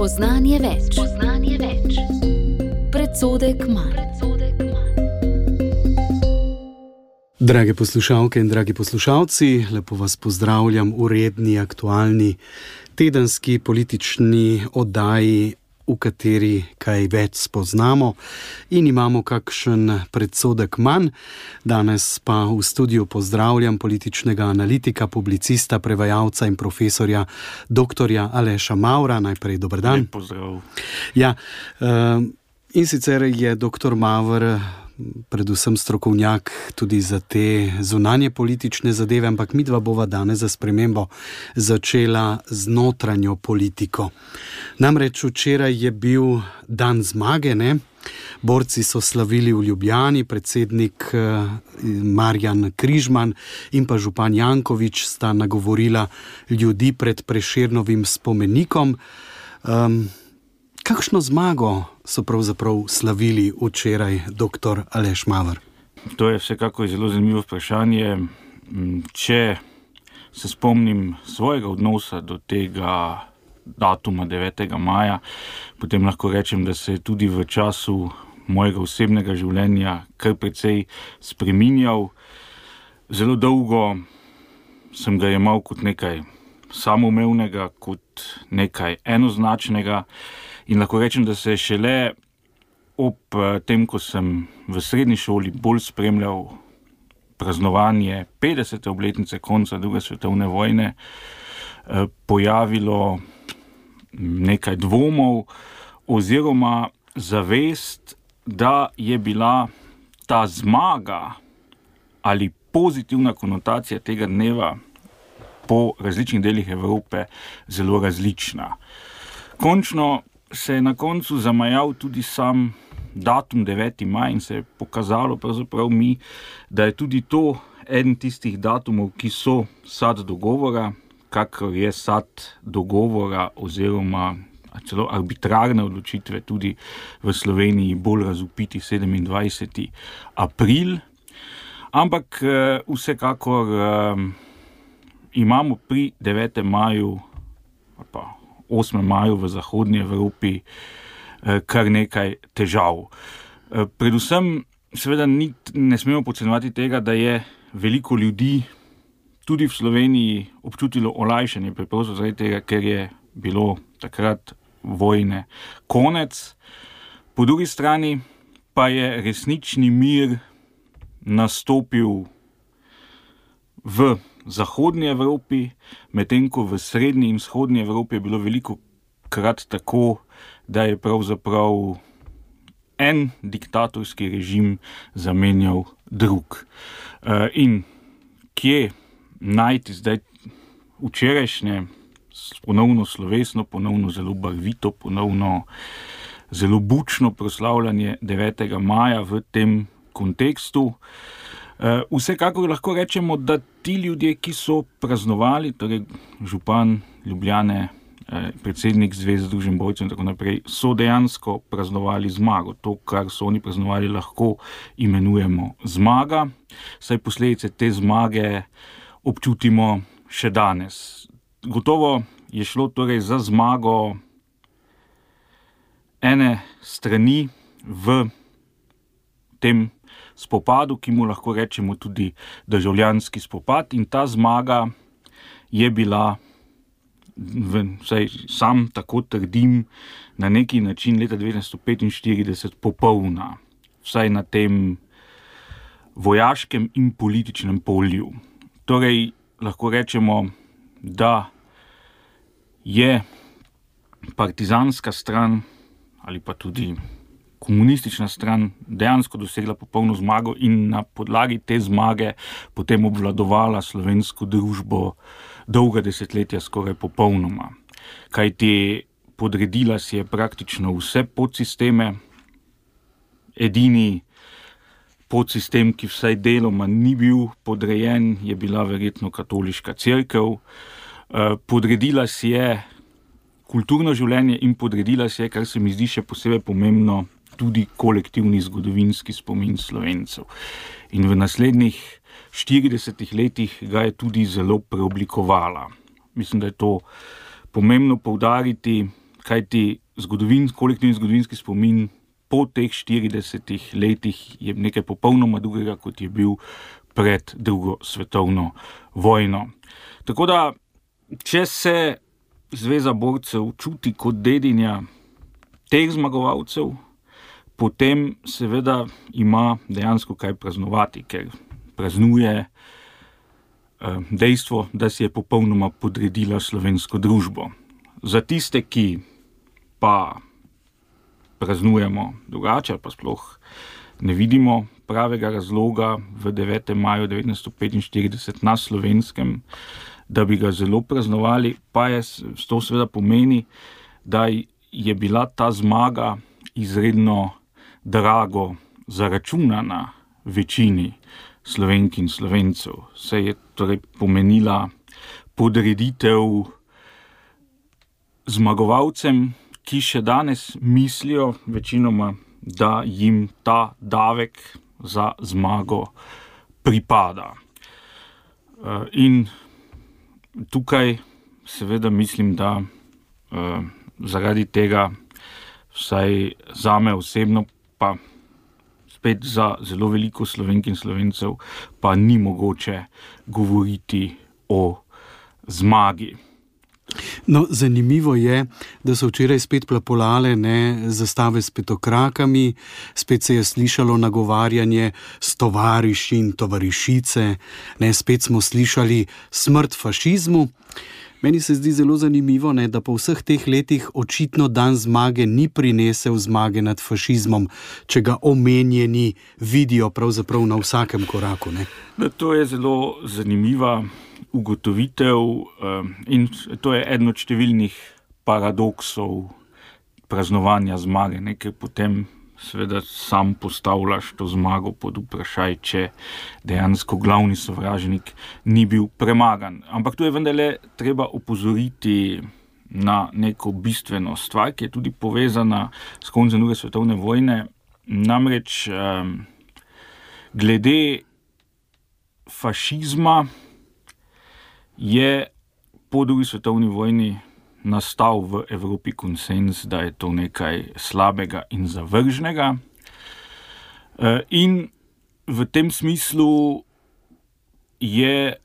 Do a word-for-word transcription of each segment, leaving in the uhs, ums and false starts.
Spoznanje več. Spoznanje več. Predsodek manj. Drage poslušalke in dragi poslušalci, lepo vas pozdravljam v redni, aktualni, tedenski politični oddaji, v kateri kaj več spoznamo in imamo kakšen predsodek manj. Danes pa v studiu pozdravljam političnega analitika, publicista, prevajalca in profesorja doktorja Aleša Mavra. Najprej dober dan. Lep pozdrav. Ja, in sicer je doktor Mavr predvsem strokovnjak tudi za te zunanje politične zadeve, ampak midva bova danes za spremembo začela z notranjo politiko. Namreč včeraj je bil dan zmage, ne? Borci so slavili v Ljubljani, predsednik Marjan Križman in pa župan Janković sta nagovorila ljudi pred Prešernovim spomenikom. Um, Kakšno zmago so pravzaprav slavili včeraj, doktor Aleš Mavr? To je vsekako zelo zanimivo vprašanje. Če se spomnim svojega odnosa do tega datuma devetega maja, potem lahko rečem, da se je tudi v času mojega osebnega življenja kar precej spreminjal. Zelo dolgo sem ga jemal kot nekaj samoumevnega, kot nekaj enoznačnega. In lahko rečem, da se je šele ob tem, ko sem v srednji šoli bolj spremljal praznovanje petdesete obletnice konca druge svetovne vojne, pojavilo nekaj dvomov oziroma zavest, da je bila ta zmaga ali pozitivna konotacija tega dneva po različnih delih Evrope zelo različna. Končno se je na koncu zamajal tudi sam datum deveti maj in se je pokazalo pravzaprav mi, da je tudi to eden tistih datumov, ki so sad dogovora, kakor je sad dogovora oziroma celo arbitrarne odločitve tudi v Sloveniji bolj razvpiti sedemindvajseti april. Ampak vsekakor imamo pri devetem maju ali pa osmem maju v zahodnji Evropi kar nekaj težav. Predvsem seveda ni, ne smemo podcenjevati tega, da je veliko ljudi tudi v Sloveniji občutilo olajšanje, preprosto zaradi tega, ker je bilo takrat vojne konec. Po drugi strani pa je resnični mir nastopil v zahodnji Evropi, medtem ko v srednji in vzhodnji Evropi je bilo veliko krat tako, da je pravzaprav en diktatorski režim zamenjal drug. In kje najti zdaj včerajšnje ponovno slovesno, ponovno zelo barvito, ponovno zelo bučno proslavljanje devetega maja v tem kontekstu? Vsekakor lahko rečemo, da ti ljudje, ki so praznovali, torej župan Ljubljane, predsednik Zveze združenj borcev in tako naprej, so dejansko praznovali zmago. To, kar so oni praznovali, lahko imenujemo zmaga, saj posledice te zmage občutimo še danes. Gotovo je šlo torej za zmago ene strani v tem spopadu, ki mu lahko rečemo tudi državljanski spopad, in ta zmaga je bila, vsaj sam tako trdim, na neki način leta devetnajststo petinštirideset popolna, vsaj na tem vojaškem in političnem polju. Torej, lahko rečemo, da je partizanska stran ali pa tudi komunistična stran dejansko dosegla popolno zmago in na podlagi te zmage potem obvladovala slovensko družbo dolga desetletja skoraj popolnoma. Kajti podredila si je praktično vse podsisteme. Edini podsistem, ki vsaj deloma ni bil podrejen, je bila verjetno katoliška cerkev. Podredila si je kulturno življenje in podredila si je, kar se mi zdi še posebej pomembno, tudi kolektivni zgodovinski spomin Slovencev. In v naslednjih štiridesetih letih ga je tudi zelo preoblikovala. Mislim, da je to pomembno poudariti, kajti zgodovin, kolektivni zgodovinski spomin po teh štiridesetih letih je nekaj popolnoma drugega, kot je bil pred drugo svetovno vojno. Tako da, če se Zveza borcev čuti kot dedinja teh zmagovalcev, potem seveda ima dejansko kaj praznovati, ker praznuje dejstvo, da si je popolnoma podredila slovensko družbo. Za tiste, ki pa praznujemo drugače, pa sploh ne vidimo pravega razloga v devetem maju devetnajststo petinštirideset na Slovenskem, da bi ga zelo praznovali, pa je to seveda pomeni, da je bila ta zmaga izredno drago zaračunana večini Slovenk in Slovencev. Se je torej pomenila podreditev zmagovalcem, ki še danes mislijo večinoma, da jim ta davek za zmago pripada. In tukaj seveda mislim, da zaradi tega, vsaj zame osebno, pa spet za zelo veliko Slovenk in Slovencev, pa ni mogoče govoriti o zmagi. No, zanimivo je, da so včeraj spet plapolale ne, zastave s petokrakami, spet se je slišalo nagovarjanje s tovariši in tovarišice, ne, spet smo slišali smrt fašizmu. Meni se zdi zelo zanimivo, ne, da po vseh teh letih očitno dan zmage ni prinesel zmage nad fašizmom, če ga omenjeni vidijo pravzaprav na vsakem koraku. Ne. To je zelo zanimiva ugotovitev in to je eden od številnih paradoksov praznovanja zmage, ne, ker potem seveda sam postavljaš to zmago pod vprašaj, če dejansko glavni sovražnik ni bil premagan. Ampak tu je vendarle treba opozoriti na neko bistveno stvar, ki je tudi povezana s koncem druge svetovne vojne. Namreč glede fašizma je po drugi svetovni vojni nastal v Evropi konsenz, da je to nekaj slabega in zavržnega. In v tem smislu je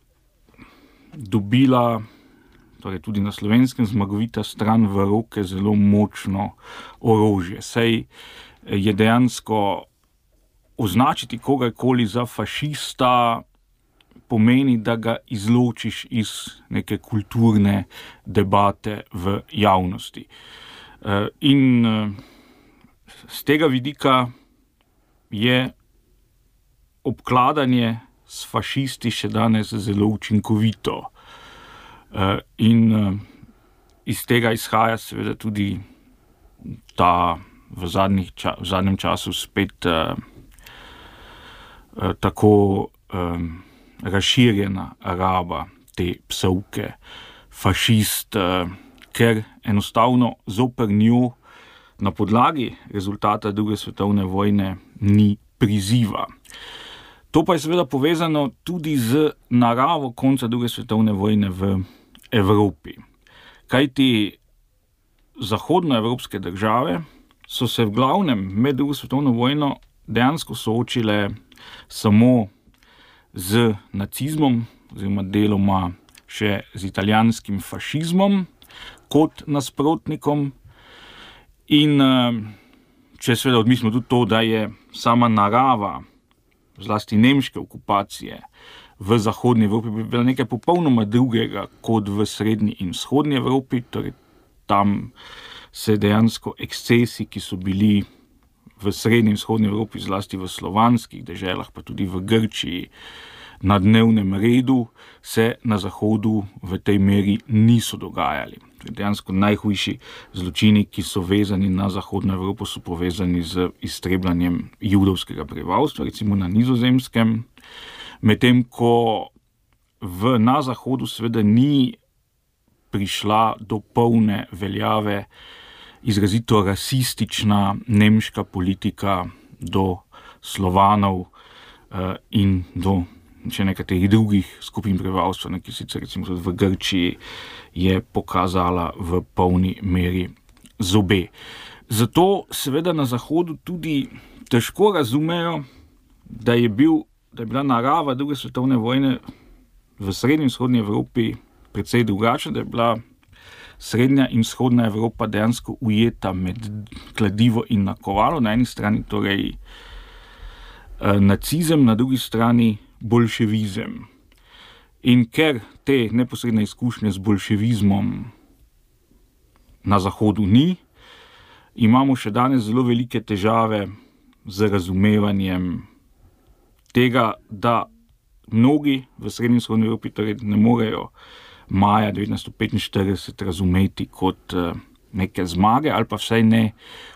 dobila, torej tudi na Slovenskem, zmagovita stran v roke zelo močno orožje. Saj je dejansko označiti kogarkoli za fašista pomeni, da ga izločiš iz neke kulturne debate v javnosti. In z tega vidika je obkladanje s fašisti še danes zelo učinkovito. In iz tega izhaja seveda tudi ta v, zadnjih, v zadnjem času spet tako razširjena raba te psovke fašist, ker enostavno zoper njo na podlagi rezultata druge svetovne vojne ni priziva. To pa je seveda povezano tudi z naravo konca druge svetovne vojne v Evropi. Kajti zahodnoevropske države so se v glavnem med drugo svetovno vojno dejansko soočile samo z nacizmom, oziroma deloma še z italijanskim fašizmom kot nasprotnikom. In če seveda odmislimo tudi to, da je sama narava, zlasti nemške okupacije v zahodni Evropi bila nekaj popolnoma drugega kot v srednji in vzhodni Evropi, torej tam se dejansko ekscesi, ki so bili v srednji in vzhodni Evropi, zlasti v slovanskih deželah, pa tudi v Grčiji, na dnevnem redu, se na zahodu v tej meri niso dogajali. Dejansko najhujši zločini, ki so vezani na zahodno Evropo, so povezani z iztrebljanjem judovskega prebivalstva, recimo na Nizozemskem, medtem ko v, na zahodu seveda ni prišla do polne veljave izrazito rasistična nemška politika do Slovanov uh, in do še nekaterih drugih skupin prebivalstva, ki sicer recimo v Grčiji je pokazala v polni meri zobe. Zato seveda na Zahodu tudi težko razumejo, da je, bil, da je bila narava druge svetovne vojne v srednji in vzhodni Evropi precej drugačna, da je bila srednja in vzhodna Evropa dejansko ujeta med kladivo in nakovalo. Na eni strani torej eh, nacizem, na drugi strani bolševizem. In ker te neposredne izkušnje z bolševizmom na Zahodu ni, imamo še danes zelo velike težave z razumevanjem tega, da mnogi v srednji in vzhodni Evropi torej ne morejo maja devetnajststo petinštirideset razumeti kot uh, neke zmage ali pa vsaj ne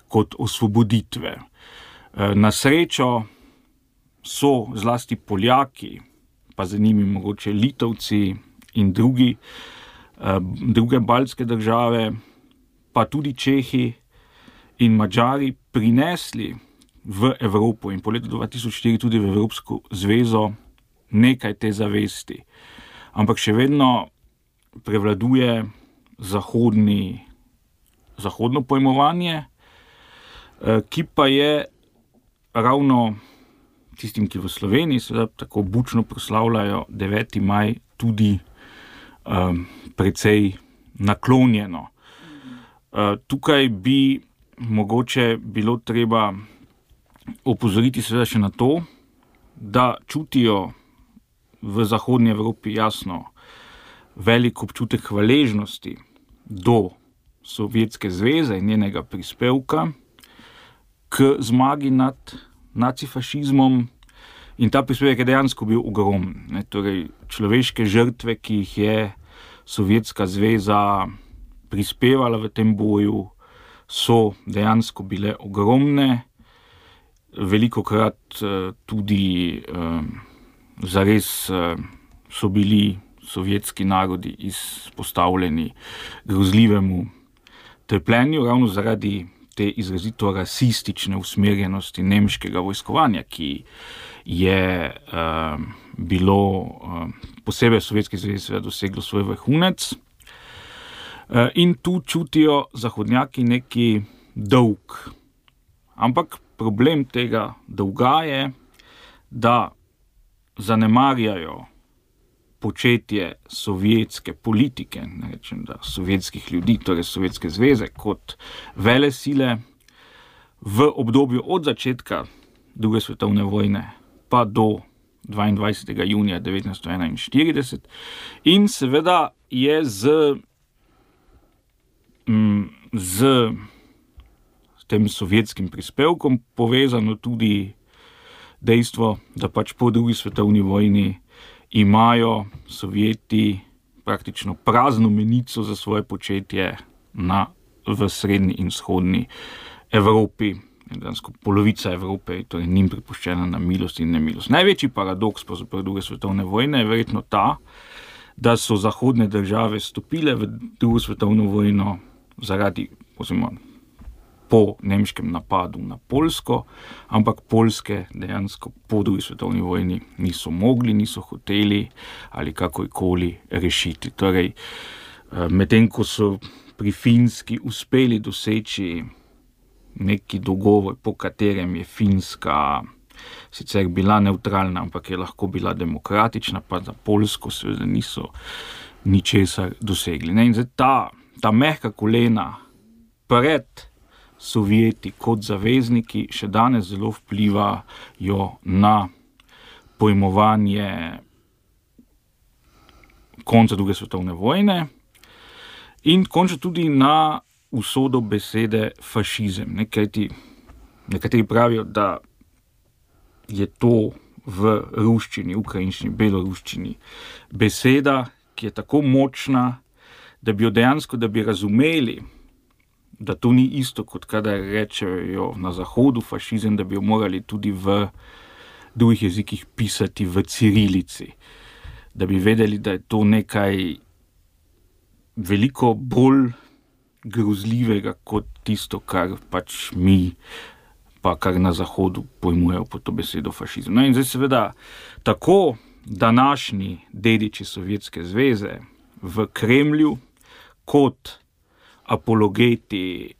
kot osvoboditve. Uh, na srečo so zlasti Poljaki, pa za njimi mogoče Litovci in drugi, uh, druge baltske države, pa tudi Čehi in Madžari prinesli v Evropo in po letu dva tisoč štiri tudi v Evropsko zvezo nekaj te zavesti. Ampak še vedno prevladuje zahodni, zahodno pojmovanje, ki pa je ravno tistim, ki v Sloveniji seveda tako bučno proslavljajo deveti maj, tudi um, precej naklonjeno. Uh, tukaj bi mogoče bilo treba opozoriti seveda še na to, da čutijo v zahodnji Evropi jasno velik občutek hvaležnosti do Sovjetske zveze in njenega prispevka k zmagi nad nacifašizmom, in ta prispevek je dejansko bil ogromen. Torej, človeške žrtve, ki jih je Sovjetska zveza prispevala v tem boju, so dejansko bile ogromne, velikokrat uh, tudi uh, zares uh, so bili sovjetski narodi izpostavljeni grozljivemu trpljenju, ravno zaradi te izrazito rasistične usmerjenosti nemškega vojskovanja, ki je uh, bilo uh, posebej Sovjetski zvezi doseglo svoj vrhunec. Uh, in tu čutijo zahodnjaki neki dolg. Ampak problem tega dolga je, da zanemarjajo početje sovjetske politike, ne rečem, da sovjetskih ljudi, torej Sovjetske zveze, kot velesile v obdobju od začetka druge svetovne vojne pa do dvaindvajsetega junija devetnajststo enainštirideset, in seveda je z, z tem sovjetskim prispevkom povezano tudi dejstvo, da pač po drugi svetovni vojni imajo Sovjeti praktično prazno menico za svoje početje na, v srednji in vzhodni Evropi. Dansko polovica Evrope je torej njim pripuščena na milost in nemilost. Največji paradoks po druge svetovne vojne je verjetno ta, da so zahodne države stopile v drugo svetovno vojno zaradi, oziroma po nemškem napadu na Poljsko, ampak Poljske dejansko po drugi svetovni vojni niso mogli, niso hoteli ali kakorkoli rešiti. Torej, medtem ko so pri Finski uspeli doseči neki dogovor, po katerem je Finska sicer bila nevtralna, ampak je lahko bila demokratična, pa za Poljsko seveda niso ničesar dosegli. Ne? In zdaj ta, ta mehka kolena pred Sovjeti kot zavezniki še danes zelo vplivajo na pojmovanje konca druge svetovne vojne in končno tudi na usodo besede fašizem. Nekajti, nekateri pravijo, da je to v ruščini, ukrajinščini, beloruščini beseda, ki je tako močna, da bi jo dejansko, da bi razumeli, da to ni isto, kot kadar rečejo na Zahodu fašizem, da bi jo morali tudi v drugih jezikih pisati v cirilici. Da bi vedeli, da je to nekaj veliko bolj grozljivega kot tisto, kar pač mi, pa kar na Zahodu pojmujejo pod to besedo fašizem. No in zdaj seveda tako današnji dediči Sovjetske zveze v Kremlju kot apologeti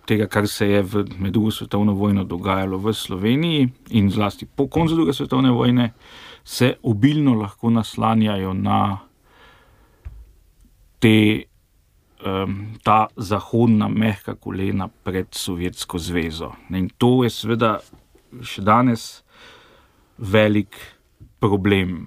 tega, kar se je v, med drugo svetovno vojno dogajalo v Sloveniji in zlasti po koncu druge svetovne vojne, se obilno lahko naslanjajo na te, um, ta zahodna mehka kolena pred Sovjetsko zvezo. In to je seveda še danes velik problem.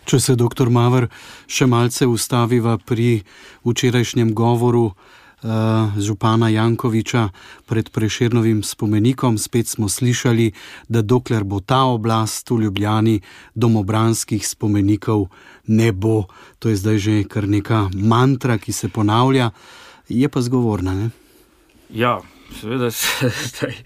Če se, doktor Maver, še malce ustaviva pri včerajšnjem govoru uh, župana Jankovića pred Prešernovim spomenikom, spet smo slišali, da dokler bo ta oblast v Ljubljani, domobranskih spomenikov ne bo. To je zdaj že kar neka mantra, ki se ponavlja, je pa zgovorna, ne? Ja, seveda se zdaj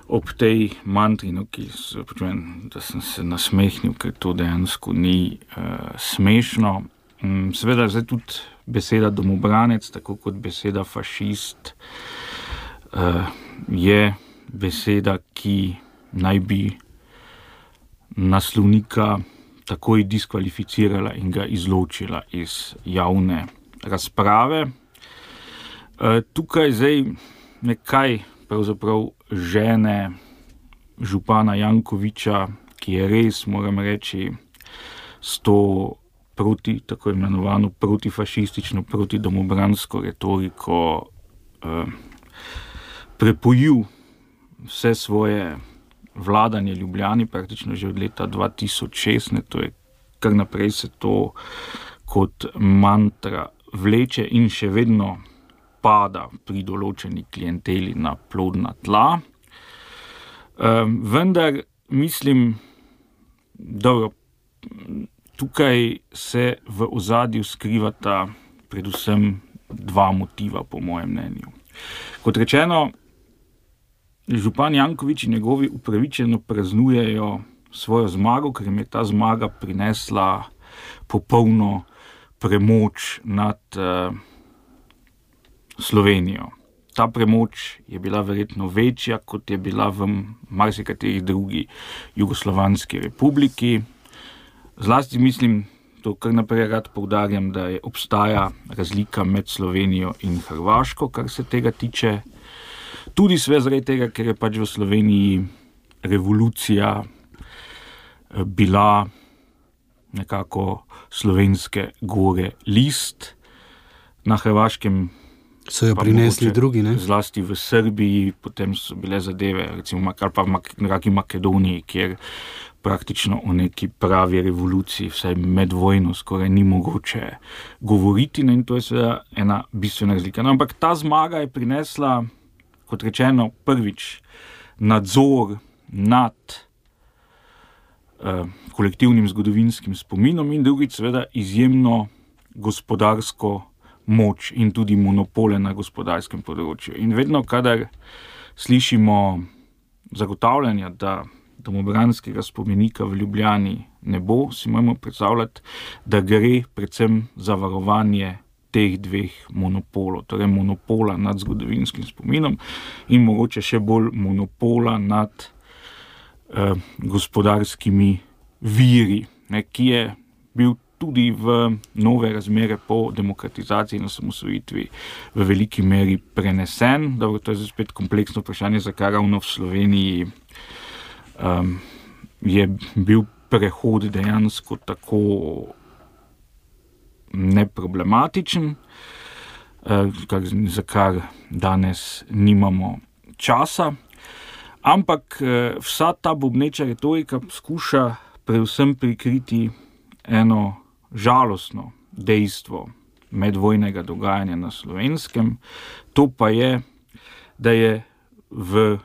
ob tej mantri, no, ki se počujem, da sem se nasmehnil, ker to dejansko ni uh, smešno. Um, seveda zdaj tudi beseda domobranec, tako kot beseda fašist, uh, je beseda, ki naj bi naslovnika takoj diskvalificirala in ga izločila iz javne razprave. Uh, tukaj zdaj nekaj pravzaprav žene župana Jankovića, ki je res, moram reči, s to proti, tako imenovano protifašistično, protidomobransko retoriko eh, prepojil vse svoje vladanje Ljubljani, praktično že od leta dva tisoč šest, to je kar naprej se to kot mantra vleče in še vedno pada pri določeni klienteli na plodna tla. Um, vendar mislim, dobro, tukaj se v ozadju skrivata predvsem dva motiva, po mojem mnenju. Kot rečeno, župan Janković in njegovi upravičeno praznujejo svojo zmago, ker jim je ta zmaga prinesla popolno premoč nad uh, Slovenijo. Ta premoč je bila verjetno večja, kot je bila v marsikateri drugi jugoslovanski republiki. Zlasti mislim, to kar naprej rad poudarjam, da je obstaja razlika med Slovenijo in Hrvaško, kar se tega tiče. Tudi sve zaradi tega, ker je pač v Sloveniji revolucija bila nekako slovenske gore list. Na Hrvaškem so jo prinesli drugi, ne? Zlasti v Srbiji, potem so bile zadeve, recimo, ali pa v Mak- Makedoniji, kjer praktično o neki pravi revoluciji, vsaj med vojno, skoraj ni mogoče govoriti, ne? In to je seveda ena bistvena razlika. No, ampak ta zmaga je prinesla, kot rečeno, prvič nadzor nad eh, kolektivnim zgodovinskim spominom in drugič seveda izjemno gospodarsko moč in tudi monopole na gospodarskem področju. In vedno, kadar slišimo zagotavljanja, da domobranskega spomenika v Ljubljani ne bo, si moramo predstavljati, da gre predvsem za varovanje teh dveh monopolov, torej monopola nad zgodovinskim spominom in mogoče še bolj monopola nad eh, gospodarskimi viri, ne, ki je bil tudi v nove razmere po demokratizaciji in osamosvojitvi v veliki meri prenesen. Dobro, to je spet kompleksno vprašanje, zakaj ravno v Sloveniji um, je bil prehod dejansko tako neproblematičen, uh, za kar danes nimamo časa. Ampak uh, vsa ta bobneča retorika skuša predvsem prikriti eno žalostno dejstvo medvojnega dogajanja na Slovenskem. To pa je, da je v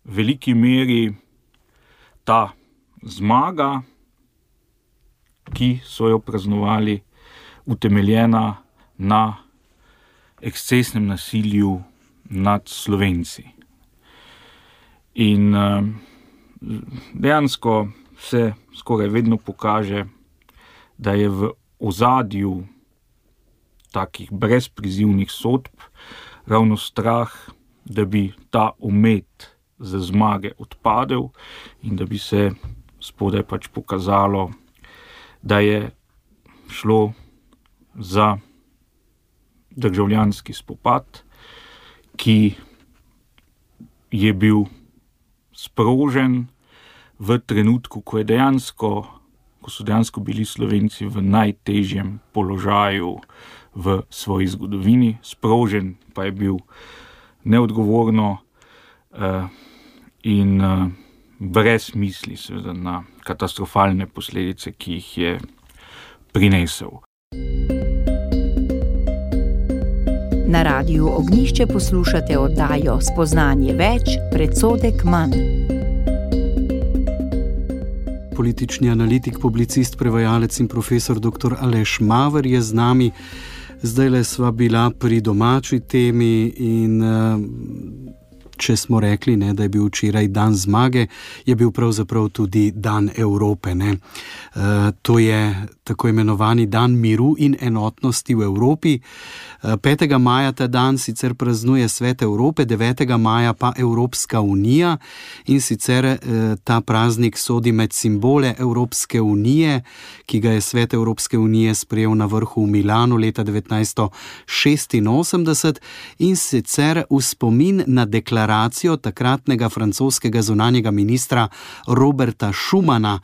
veliki meri ta zmaga, ki so jo praznovali, utemeljena na ekscesnem nasilju nad Slovenci. In uh, dejansko se skoraj vedno pokaže, da je v ozadju takih brezprizivnih sodb ravno strah, da bi ta omet za zmage odpadel in da bi se spodaj pač pokazalo, da je šlo za državljanski spopad ki je bil sprožen v trenutku, ko, je dejansko, ko so dejansko bili Slovenci v najtežjem položaju v svoji zgodovini. Sprožen pa je bil neodgovorno uh, in uh, brez misli seveda na katastrofalne posledice, ki jih je prinesel. Na Radiu Ognjišče poslušate oddajo Spoznanje več, predsodek manj. Politični analitik, publicist, prevajalec in profesor doktor Aleš Maver je z nami. Zdajle sva bila pri domači temi in če smo rekli, ne, da je bil včeraj dan zmage, je bil pravzaprav tudi dan Evrope. Ne. E, to je tako imenovani dan miru in enotnosti v Evropi. E, petega maja ta dan sicer praznuje Svet Evrope, devetega maja pa Evropska unija in sicer e, ta praznik sodi med simbole Evropske unije, ki ga je Svet Evropske unije sprejel na vrhu v Milanu leta devetnajststo šestinosemdeset in sicer v spomin na deklaracijo takratnega francoskega zunanjega ministra Roberta Schumana,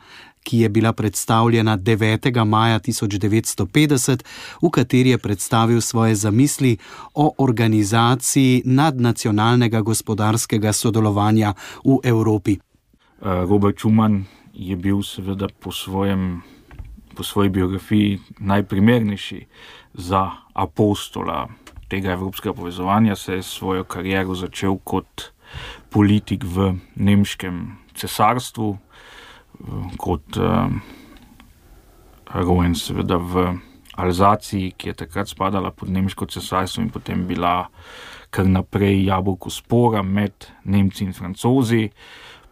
ki je bila predstavljena devetega maja tisoč devetsto petdeset, v kateri je predstavil svoje zamisli o organizaciji nadnacionalnega gospodarskega sodelovanja v Evropi. Robert Schuman je bil seveda po, svojem, po svoji biografiji najprimernejši za apostola tega evropskega povezovanja. Se je svojo kariero začel kot politik v nemškem cesarstvu, kot uh, rojen seveda v Alzaciji, ki je takrat spadala pod nemško cesarstvo in potem bila kar naprej jabolko spora med Nemci in Francozi.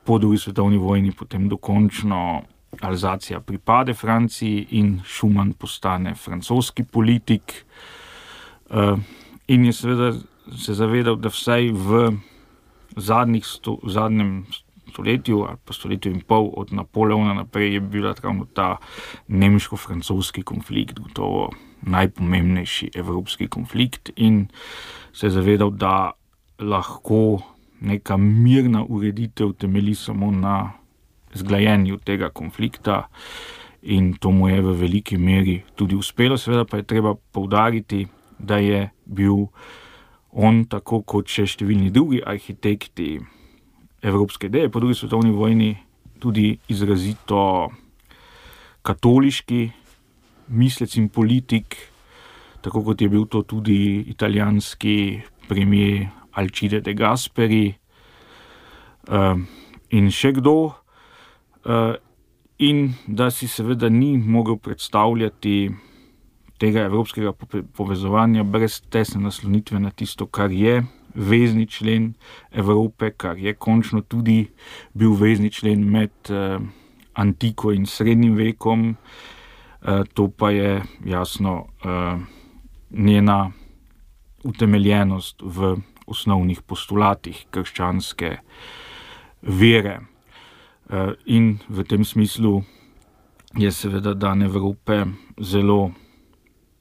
Po drugi svetovni vojni potem dokončno Alzacija pripade Franciji in Schuman postane francoski politik. Uh, in je seveda se zavedal, da vsaj v zadnjih sto, v zadnjem stoletju ali pa stoletju in pol od Napoleona naprej je bila ravno ta nemško-francoski konflikt gotovo najpomembnejši evropski konflikt in se je zavedal, da lahko neka mirna ureditev temelji samo na zglajenju tega konflikta in to mu je v veliki meri tudi uspelo. Seveda pa je treba poudariti, da je bil on, tako kot še številni drugi arhitekti evropske ideje po drugi svetovni vojni, tudi izrazito katoliški mislec in politik, tako kot je bil to tudi italijanski premier Alcide de Gasperi uh, in še kdo. Uh, in da si seveda ni mogel predstavljati tega evropskega povezovanja brez tesne naslonitve na tisto, kar je vezni člen Evrope, kar je končno tudi bil vezni člen med uh, antiko in srednjim vekom. Uh, to pa je jasno uh, njena utemeljenost v osnovnih postulatih krščanske vere. Uh, in v tem smislu je seveda dan Evrope zelo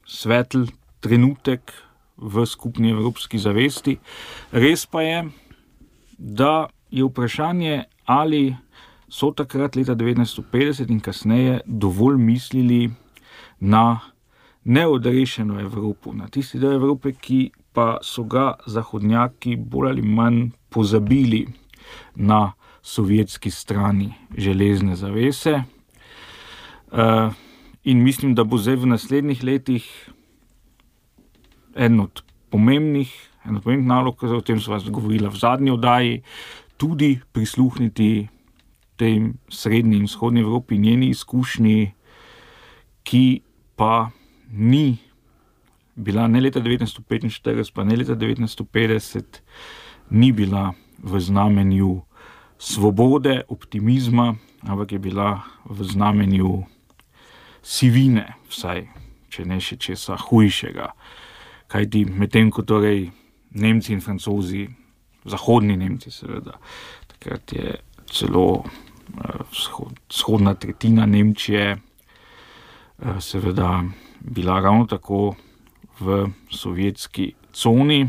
svetel trenutek v skupni evropski zavesti. Res pa je, da je vprašanje, ali so takrat leta devetnajststo petdeset in kasneje dovolj mislili na neodrešeno Evropo, na tisti del Evrope, ki pa so ga zahodnjaki bolj ali manj pozabili na sovjetski strani železne zavese. Uh, In mislim, da bo zdaj v naslednjih letih en od pomembnih, en od pomembnih nalog, o tem sva govorila v zadnji oddaji, tudi prisluhniti tej srednji in vzhodni Evropi, njeni izkušnji, ki pa ni bila ne leta devetnajststo petinštirideset, pa ne leta devetnajststo petdeset, ni bila v znamenju svobode, optimizma, ampak je bila v znamenju sivine, vsaj, če ne še česa hujšega. Kajti medtem, ko torej Nemci in Francozi, zahodni Nemci seveda, takrat je celo uh, vzhodna tretjina Nemčije uh, seveda bila ravno tako v sovjetski coni.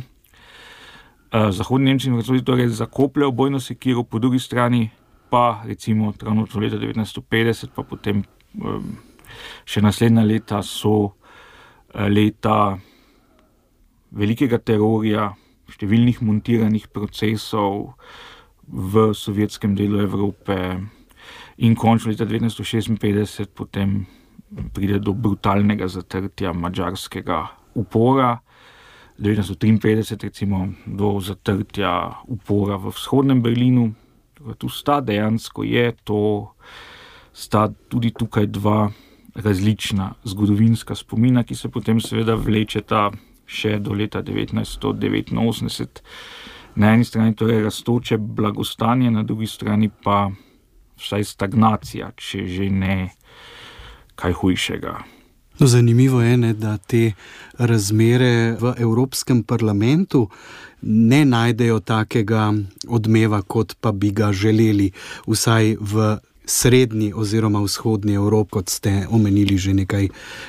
Zahodni Nemčiji in Francoziji torej zakopljajo bojno sekiro, po drugi strani pa recimo ravno od leta devetnajststo petdeset, pa potem še naslednja leta so leta velikega terorja, številnih montiranih procesov v sovjetskem delu Evrope in končno leta devetnajststo šestinpetdeset potem pride do brutalnega zatrtja madžarskega upora, devetnajststo triinpetdeset recimo do zatrtja upora v vzhodnem Berlinu. Tu sta dejansko je to, sta tudi tukaj dva različna zgodovinska spomina, ki se potem seveda vlečeta še do leta devetnajststo devetinosemdeset. Na eni strani torej rastoče blagostanje, na drugi strani pa vsaj stagnacija, če že ne kaj hujšega. No, zanimivo je, ne, da te razmere v Evropskem parlamentu ne najdejo takega odmeva, kot pa bi ga želeli, vsaj v srednji oziroma vzhodni Evropi, kot ste omenili že nekaj,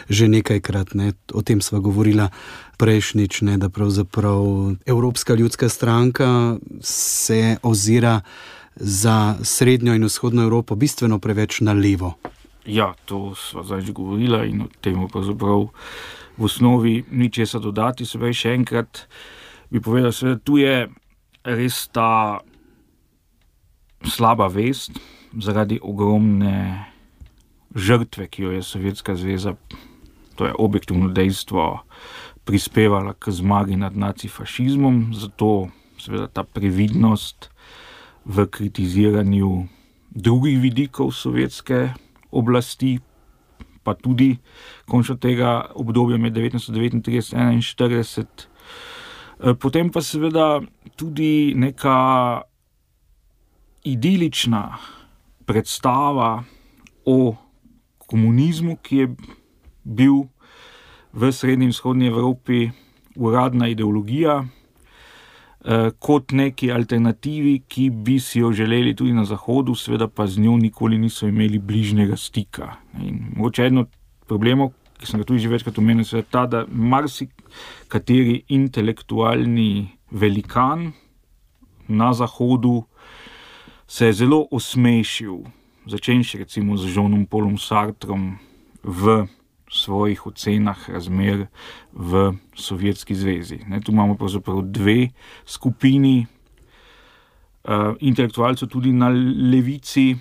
že nekajkrat. Ne. O tem sva govorila prejšnjič, ne, da pravzaprav Evropska ljudska stranka se ozira za srednjo in vzhodno Evropo bistveno preveč na levo. Ja, to sva zdaj že govorila in o tem pravzaprav v osnovi ni česa dodati. Se pravi, še enkrat bi povedal, da tu je res ta slaba vest zaradi ogromne žrtve, ki jo je Sovjetska zveza, to je objektivno dejstvo, prispevala k zmagi nad nacifašizmom, zato seveda ta previdnost v kritiziranju drugih vidikov sovjetske oblasti, pa tudi končno tega obdobja med devetnajststo devetintrideset in enainštirideset. Potem pa seveda tudi neka idilična predstava o komunizmu, ki je bil v srednji in vzhodni Evropi uradna ideologija, kot neki alternativi, ki bi si jo želeli tudi na Zahodu, seveda pa z njo nikoli niso imeli bližnjega stika. In mogoče eno problemov, ki sem ga tudi že večkrat omenil, je ta, da marsikateri intelektualni velikan na Zahodu se je zelo osmešil, začenši recimo z Jeanom Paulom Sartrom v svojih ocenah razmer v Sovjetski zvezi. Ne, tu imamo pravzaprav dve skupini uh, intelektualcev tudi na levici.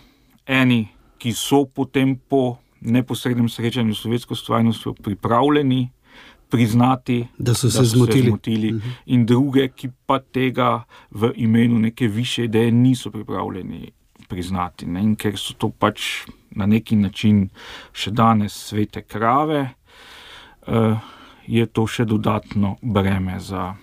Eni, ki so potem po neposrednem srečanju s sovjetsko stvarnostjo pripravljeni priznati, da so se da so zmotili, se zmotili uh-huh. in druge, ki pa tega v imenu neke višje ideje niso pripravljeni priznati. Ne? In ker so to pač na neki način še danes svete krave, uh, je to še dodatno breme za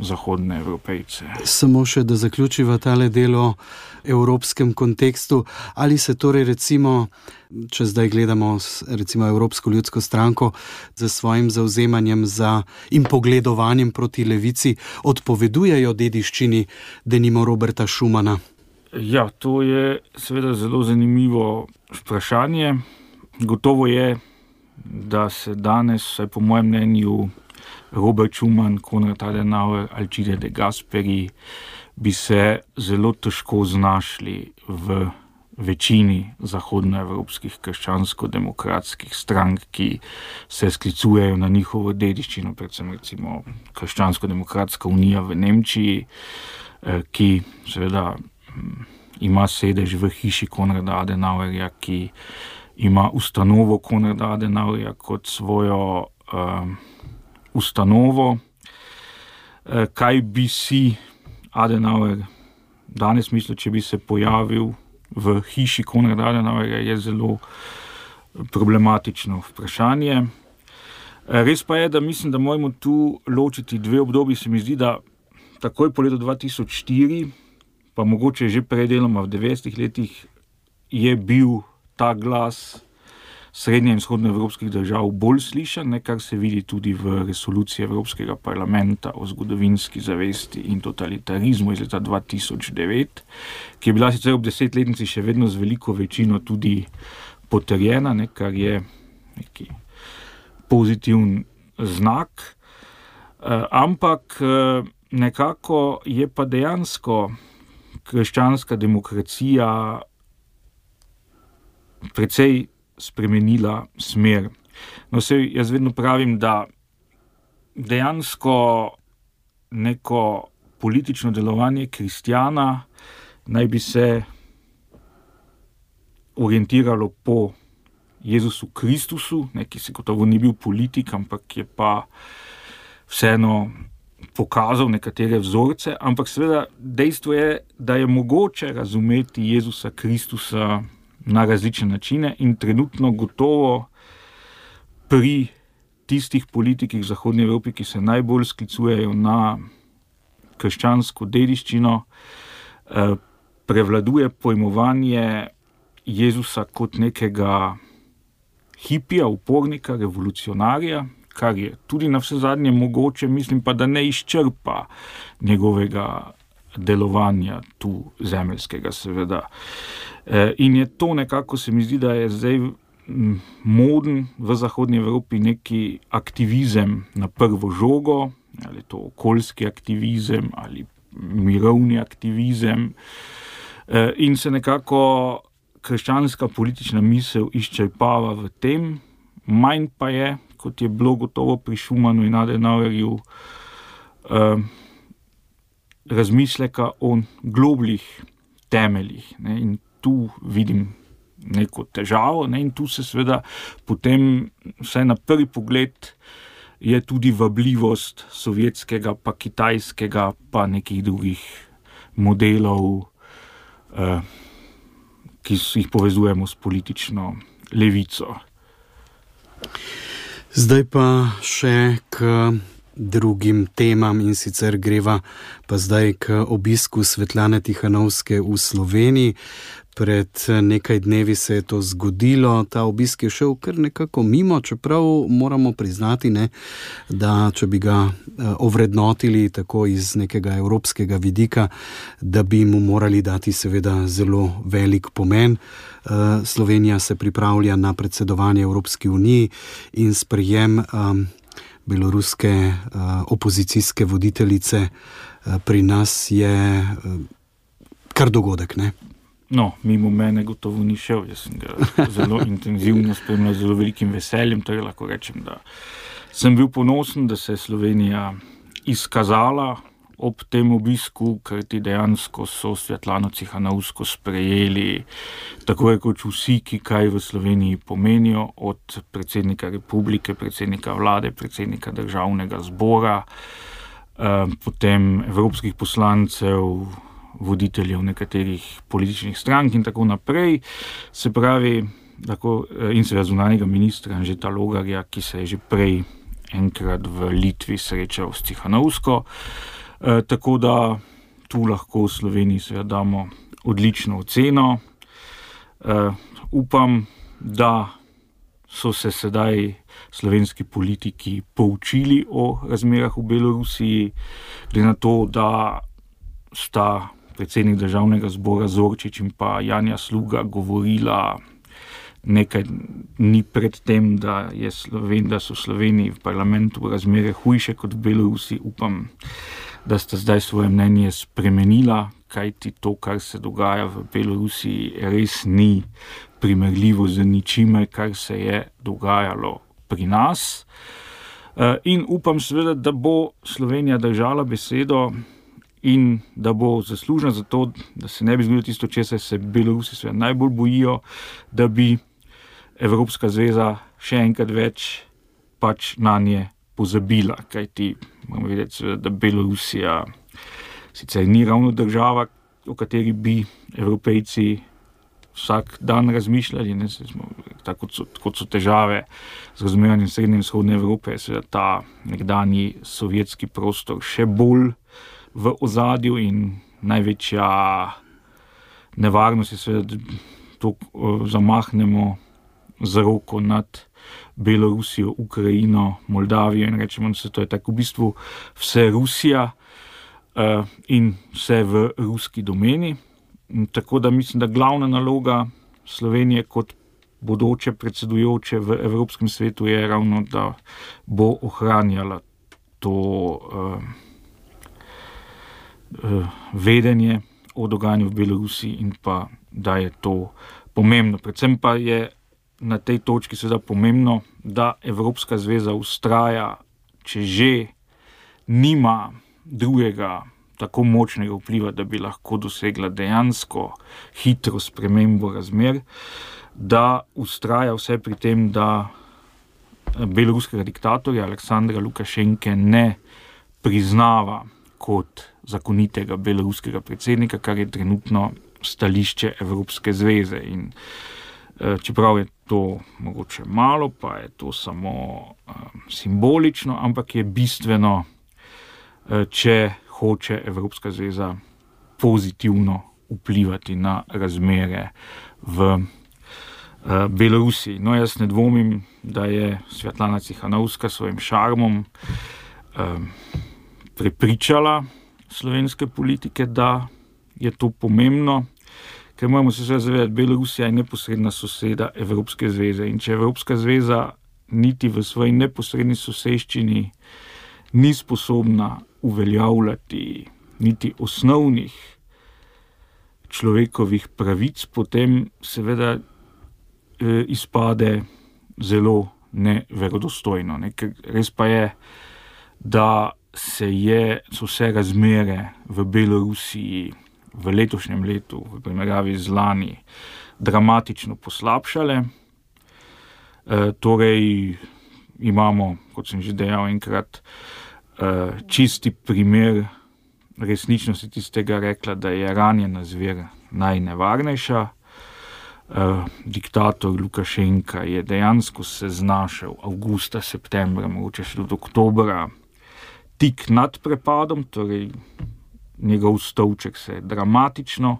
zahodne Evropejce. Samo še, da zaključiva tale del o evropskem kontekstu. Ali se torej recimo, če zdaj gledamo recimo Evropsko ljudsko stranko za svojim zavzemanjem za in pogledovanjem proti levici, odpovedujejo dediščini denimo Roberta Schumana? Ja, to je seveda zelo zanimivo vprašanje. Gotovo je, da se danes, vsaj po mojem mnenju, Robert Schuman, Konrad Adenauer, Alcide de Gasperi bi se zelo težko znašli v večini zahodnoevropskih krščansko-demokratskih strank, ki se sklicujejo na njihovo dediščino, predvsem recimo Krščansko-demokratska unija v Nemčiji, ki seveda ima sedež v hiši Konrada Adenauerja, ki ima ustanovo Konrada Adenauerja kot svojo uh, ustanovo. Uh, kaj bi si Adenauer danes mislil, če bi se pojavil v hiši Konrada Adenauerja, je zelo problematično vprašanje. Uh, res pa je, da mislim, da moramo tu ločiti dve obdobji. Se mi zdi, da takoj po letu dva tisoč štiri, pa mogoče že prej deloma v devetdesetih letih, je bil ta glas srednje in vzhodnoevropskih držav bolj slišan, ne, kar se vidi tudi v resoluciji Evropskega parlamenta o zgodovinski zavesti in totalitarizmu iz leta dva tisoč devet, ki je bila sicer ob desetletnici še vedno z veliko večino tudi potrjena, ne, kar je neki pozitiven znak. Uh, ampak uh, nekako je pa dejansko krščanska demokracija precej spremenila smer. No, sej jaz vedno pravim, da dejansko neko politično delovanje kristjana naj bi se orientiralo po Jezusu Kristusu, ne, ki se gotovo ni bil politik, ampak je pa vseeno pokazal nekatere vzorce, ampak seveda dejstvo je, da je mogoče razumeti Jezusa Kristusa na različne načine in trenutno gotovo pri tistih politikih v Zahodni Evropi, ki se najbolj sklicujejo na krščansko dediščino, prevladuje pojmovanje Jezusa kot nekega hipija, upornika, revolucionarja, kar je tudi na vse zadnje mogoče, mislim pa, da ne izčrpa njegovega delovanja tu zemeljskega, seveda. In je to nekako, se mi zdi, da je zdaj moden v Zahodni Evropi neki aktivizem na prvo žogo, ali to okoljski aktivizem, ali mirovni aktivizem, in se nekako krščanska politična misel izčrpava v tem, manj pa je, kot je bilo gotovo pri Schumanu in Adenauerju, eh, razmisleka o globljih temeljih. Ne, in tu vidim neko težavo, ne, in tu se seveda potem, vsaj na prvi pogled, je tudi vabljivost sovjetskega, pa kitajskega, pa nekih drugih modelov, eh, ki jih povezujemo s politično levico. Zdaj pa še k drugim temam, in sicer greva pa zdaj k obisku Svetlane Tihanovske v Sloveniji. Pred nekaj dnevi se je to zgodilo, ta obisk je šel kar nekako mimo, čeprav moramo priznati, ne, da če bi ga ovrednotili tako iz nekega evropskega vidika, da bi mu morali dati seveda zelo velik pomen. Slovenija se pripravlja na predsedovanje Evropski uniji in sprejem um, beloruske uh, opozicijske voditeljice uh, pri nas je uh, kar dogodek, ne? No, mimo mene gotovo ni šel, jaz sem ga zelo intenzivno spremljal, zelo velikim veseljem, torej lahko rečem, da sem bil ponosen, da se je Slovenija izkazala ob tem obisku, ker ti dejansko so Svetlano Tihanovsko sprejeli tako rekoč vsi, ki kaj v Sloveniji pomenijo, od predsednika republike, predsednika vlade, predsednika državnega zbora, eh, potem evropskih poslancev, voditeljev nekaterih političnih strank in tako naprej. Se pravi, tako, in seveda zunanjega ministra Anžeta Logarja, ki se je že prej enkrat v Litvi srečal s Tihanovsko. E, tako da tu lahko v Sloveniji seveda damo odlično oceno. E, upam, da so se sedaj slovenski politiki poučili o razmerah v Belorusiji, glede na to, da sta predsednik državnega zbora Zorčič in pa Janja Sluga govorila nekaj dni pred tem, da, je Sloven, da so v Sloveniji v parlamentu razmere hujše kot v Belorusiji. Upam, da sta zdaj svoje mnenje spremenila, kajti to, kar se dogaja v Belorusiji, res ni primerljivo z ničimer, kar se je dogajalo pri nas. In upam seveda, da bo Slovenija držala besedo in da bo zaslužna za to, da se ne bi zgodilo tisto, česar se Belorusi seveda najbolj bojijo, da bi Evropska zveza še enkrat več pač na nje pozabila, kajti moramo vedeti seveda, da Belorusija sicer ni ravno država, o kateri bi Evropejci vsak dan razmišljali, ne, smo, tako kot so, kot so težave z razumevanjem srednje in vzhodne Evrope, seveda ta nekdanji sovjetski prostor še bolj v ozadju in največja nevarnost je seveda, da to zamahnemo z roko nad Belorusijo, Ukrajino, Moldavijo in rečemo, da se to je tako v bistvu vse Rusija uh, in vse v ruski domeni. In tako da mislim, da glavna naloga Slovenije kot bodoče predsedujoče v Evropskem svetu je ravno, da bo ohranjala to uh, vedenje o dogajanju v Belorusiji in pa, da je to pomembno. Predvsem pa je na tej točki seveda pomembno, da Evropska zveza vztraja, če že nima drugega tako močnega vpliva, da bi lahko dosegla dejansko hitro spremembo razmer, da vztraja vse pri tem, da beloruskega diktatorja Aleksandra Lukašenke ne priznava kot zakonitega beloruskega predsednika, kar je trenutno stališče Evropske zveze. In čeprav je to mogoče malo, pa je to samo um, simbolično, ampak je bistveno, če hoče Evropska zveza pozitivno vplivati na razmere v uh, Belorusiji. No, jaz ne dvomim, da je Svetlana Cichanovska s svojim šarmom um, prepričala slovenske politike, da je to pomembno, ker moramo se zavedati, Belorusija je neposredna soseda Evropske zveze in če Evropska zveza niti v svoji neposredni soseščini ni sposobna uveljavljati niti osnovnih človekovih pravic, potem seveda eh, izpade zelo neverodostojno. Ne? Ker res pa je, da se je, so vse razmere v Belorusiji v letošnjem letu, v primerjavi z lani, dramatično poslabšale. E, torej imamo, kot sem že dejal enkrat, e, čisti primer resničnosti tistega rekla, da je ranjena zver najnevarnejša. E, diktator Lukašenka je dejansko se znašel avgusta, septembra, mogoče še do oktobra, tik nad prepadom, torej njegov stolček se je dramatično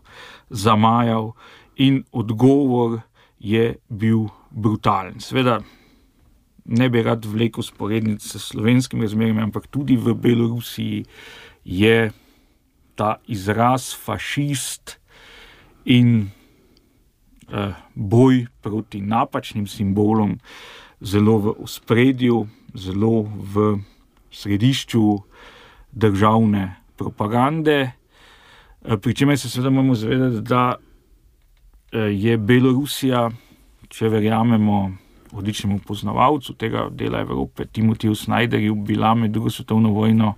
zamajal in odgovor je bil brutalen. Seveda ne bi rad vlekel sporednic s slovenskim razmerami, ampak tudi v Belorusiji je ta izraz fašist in eh, boj proti napačnim simbolom zelo v ospredju, zelo v središču državne propagande, pri čemer se seveda moramo zavedati, da je Belorusija, če verjamemo odličnemu poznavalcu tega dela Evrope, Timotiju Snyderju, bila med drugo svetovno vojno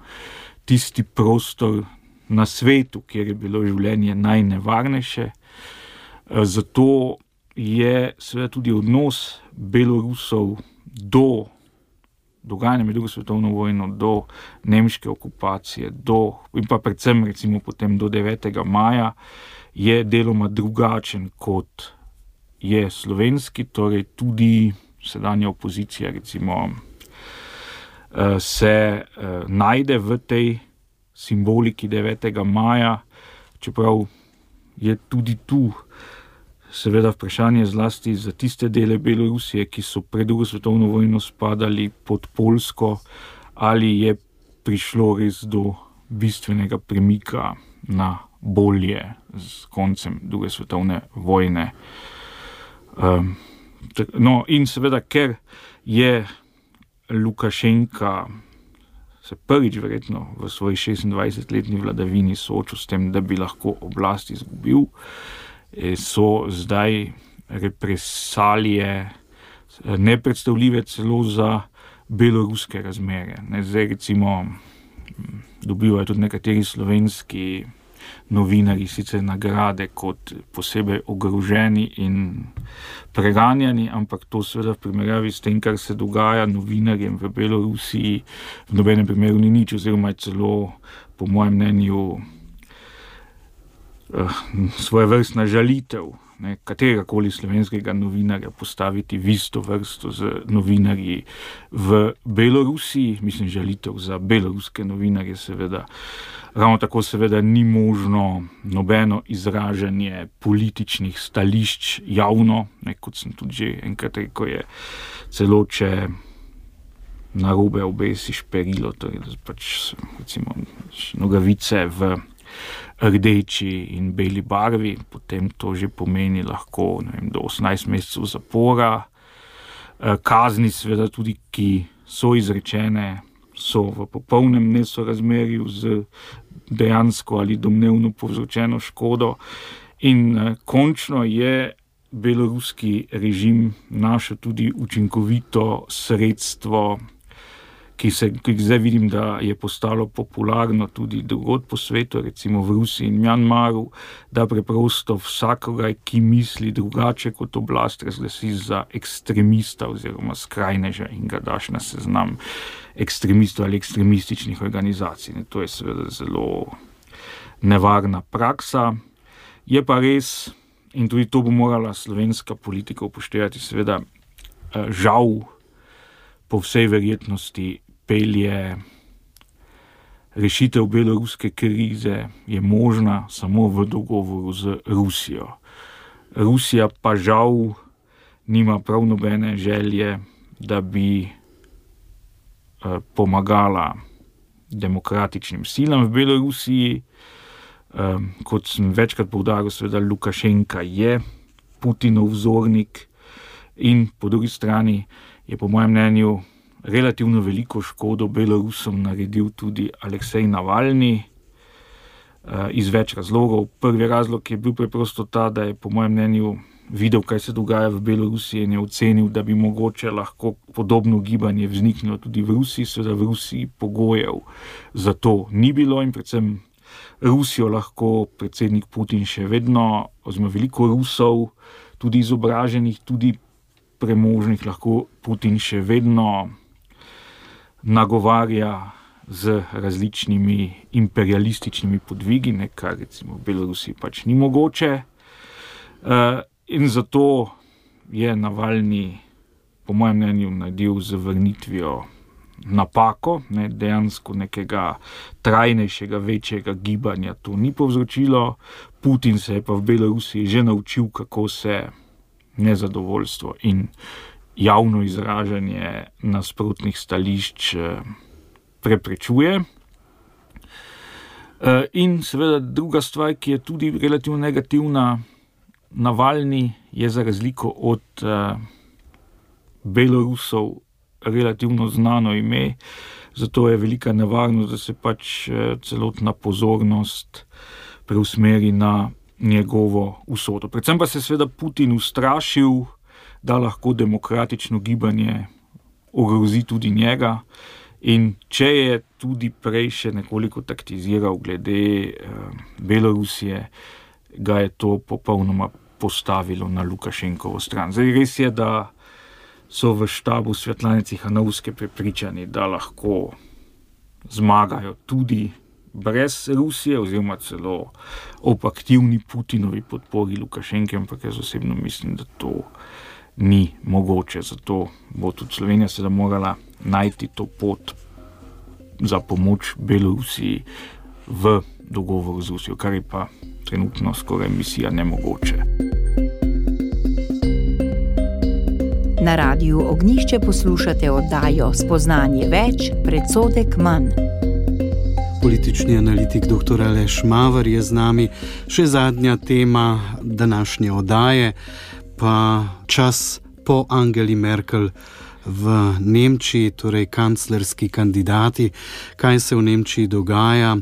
tisti prostor na svetu, kjer je bilo življenje najnevarnejše. Zato je seveda tudi odnos Belorusov do dogajanje med drugo svetovno vojno, do nemške okupacije, do, in pa predvsem recimo potem do devetega maja, je deloma drugačen kot je slovenski, torej tudi sedanja opozicija recimo se najde v tej simboliki devetega maja, čeprav je tudi tu seveda vprašanje zlasti za tiste dele Belorusije, ki so pred drugo svetovno vojno spadali pod Poljsko, ali je prišlo res do bistvenega premika na bolje z koncem druge svetovne vojne. Um, no in seveda, ker je Lukašenka se prvič verjetno v svoji šestindvajsetletni vladavini soočil s tem, da bi lahko oblast izgubil, so zdaj represalije nepredstavljive celo za beloruske razmere. Ne, zdaj recimo dobivajo tudi nekateri slovenski novinarji sicer nagrade kot posebej ogroženi in preganjani, ampak to seveda v primerjavi s tem, kar se dogaja novinarjem v Belorusiji, v nobenem primeru ni nič, oziroma je celo, po mojem mnenju, svoje vrstna žalitev, ne, kateregakoli slovenskega novinarja postaviti v isto vrsto z novinarji v Belorusiji, mislim žalitev za beloruske novinarje seveda. Ravno tako seveda ni možno nobeno izražanje političnih stališč javno, ne, kot sem tudi že enkrat rekel, je celo, če narobe obesiš perilo, torej pač recimo nogavice v rdeči in beli barvi, potem to že pomeni lahko ne vem, do osemnajst mesecev zapora. Kazni seveda tudi, ki so izrečene, so v popolnem nesorazmerju z dejansko ali domnevno povzročeno škodo. In uh, končno je beloruski režim našel tudi učinkovito sredstvo, ki se ki zdaj vidim, da je postalo popularno tudi drugod po svetu, recimo v Rusiji in Mjanmaru, da preprosto vsakogar, ki misli drugače kot oblast, razglasi za ekstremista oziroma skrajneža in ga daš na seznam ekstremistov ali ekstremističnih organizacij. To je seveda zelo nevarna praksa. Je pa res, in tudi to bo morala slovenska politika upoštevati, seveda žal po vsej verjetnosti pelje rešitev beloruske krize je možna samo v dogovoru z Rusijo. Rusija pa žal nima prav nobene želje, da bi pomagala demokratičnim silam v Belorusiji. Kot sem večkrat poudaril, seveda Lukašenka je Putinov vzornik in po drugi strani je po mojem mnenju relativno veliko škodo Belorusom naredil tudi Aleksej Navalni iz več razlogov. Prvi razlog je bil preprosto ta, da je po mojem mnenju videl, kaj se dogaja v Belorusiji in je ocenil, da bi mogoče lahko podobno gibanje vzniknilo tudi v Rusiji. Seveda v Rusiji pogojev za to ni bilo in predvsem Rusijo lahko predsednik Putin še vedno, oziroma veliko Rusov, tudi izobraženih, tudi premožnih, lahko Putin še vedno nagovarja z različnimi imperialističnimi podvigi, kar recimo v Belorusiji pač ni mogoče. In zato je Navalni, po mojem mnenju, naredil z vrnitvijo napako, ne, dejansko nekega trajnejšega, večjega gibanja to ni povzročilo. Putin se je pa v Belorusiji že naučil, kako se nezadovoljstvo in javno izražanje nasprotnih stališč preprečuje. In seveda druga stvar, ki je tudi relativno negativna, Navalni je za razliko od Belorusov relativno znano ime, zato je velika nevarnost, da se pač celotna pozornost preusmeri na njegovo usodo. Predvsem pa se seveda Putin ustrašil, da lahko demokratično gibanje ogrozi tudi njega, in če je tudi prej še nekoliko taktiziral glede eh, Belorusije, ga je to popolnoma postavilo na Lukašenkovo stran. Zdaj res je, da so v štabu Svetlane Cichanovske prepričani, da lahko zmagajo tudi brez Rusije, oziroma celo ob aktivni Putinovi podpori Lukašenke, ampak jaz osebno mislim, da to ni mogoče. Zato bo tudi Slovenija seveda morala najti to pot za pomoč Belorusiji v dogovoru z Rusijo, kar je pa trenutno skoraj misija nemogoče. Na Radiu Ognjišče poslušate oddajo Spoznanje več, predsodek manj. Politični analitik doktor Aleš Maver je z nami. Še zadnja tema današnje oddaje, pa čas po Angeli Merkel v Nemčiji, torej kanclerski kandidati. Kaj se v Nemčiji dogaja,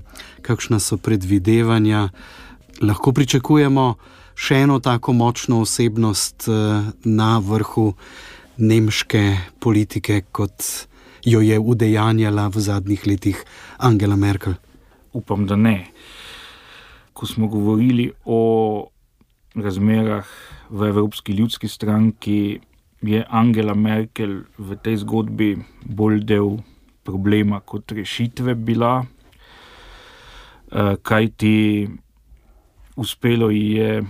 kakšna so predvidevanja? Lahko pričakujemo še eno tako močno osebnost na vrhu nemške politike, kot jo je udejanjala v zadnjih letih Angela Merkel? Upam, da ne. Ko smo govorili o razmerah v Evropski ljudski stranki, je Angela Merkel v tej zgodbi bolj del problema kot rešitve bila, kajti uspelo ji je